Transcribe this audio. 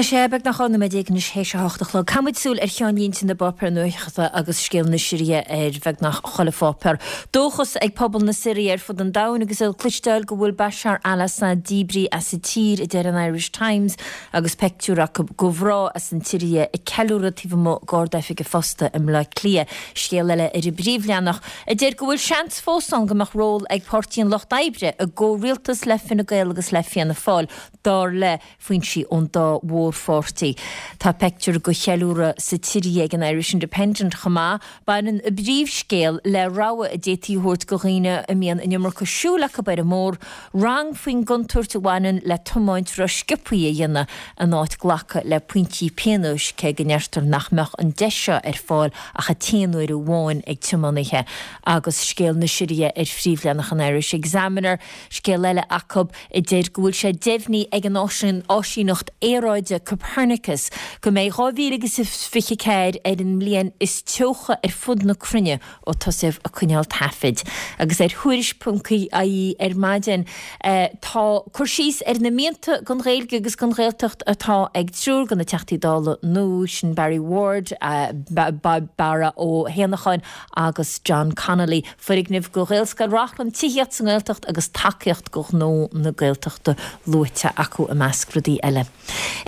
sé beagnach 12 nóiméad anois théis a hocht a chlog. Caithfidh muid súil ar cheannlínte na bpáipéar nuachta agus scéal na Siria ar bheagnach chuile pháipéar. Dóchas ag pobal na Siria ar fud an domhain agus iad ag cloisteáil go bhfuil Bashar al-Assad díbrithe as an tír, a deir an Irish Times agus peictiúr acu de mhná as an tSiria ag ceiliúradh taobh amuigh d'Ard-Oifig an Phosta i mBleá Cliath. Scéal eile ar an bpríomhleathanach a deir go bhfuil seans fós ann go mbeadh ról ag Páirtí an Lucht Oibre i gcomhrialtas le Fine Gael agus le Fianna Fáil, dar le foinsí ón dá mhórpháirtí. Tá peictiúr de cheiliúradh sa tSiria ag an Irish Independent chomh maith. Baineann a bpríomhscéal le rabhadh a d'fhéadfaí a thabhairt do dhaoine a mbíonn an iomarca siúil acu ar an mbóthar, rang faoin gcontúirt a bhaineann le tiomáint ró-sciobtha a dhéanamh in áit glacadh le pointí pionóis, cé go ndeirtear nach mbeadh an deis seo ar fáil ach an t-aon uair amháin ag tiománaithe. Agus scéal na Siria ar phríomhleathanach an Irish Examiner, scéal eile acu. a deir go bhfuil sé deimhnithe ag an áisíneacht aeráide Copernicus go mbeidh 2024 ar an mbliain is teocha ar fud na cruinne ó tosaíodh ag coinneáil taifid. Agus ar Tuairisc.ie ar maidin tá cur síos ar na mianta don Ghaeilge agus don Ghaeltacht atá ag triúr de na Teachtaí Dála nua, sin Barry Ward, Barra Ó hÉanacháin agus John Connolly. Foirgnimh do Ghaelscoil Reachrann, tithíocht sa nGaeltacht agus tacaíocht do ghnó na Gaeltachta luaite acu i measc rudaí eile.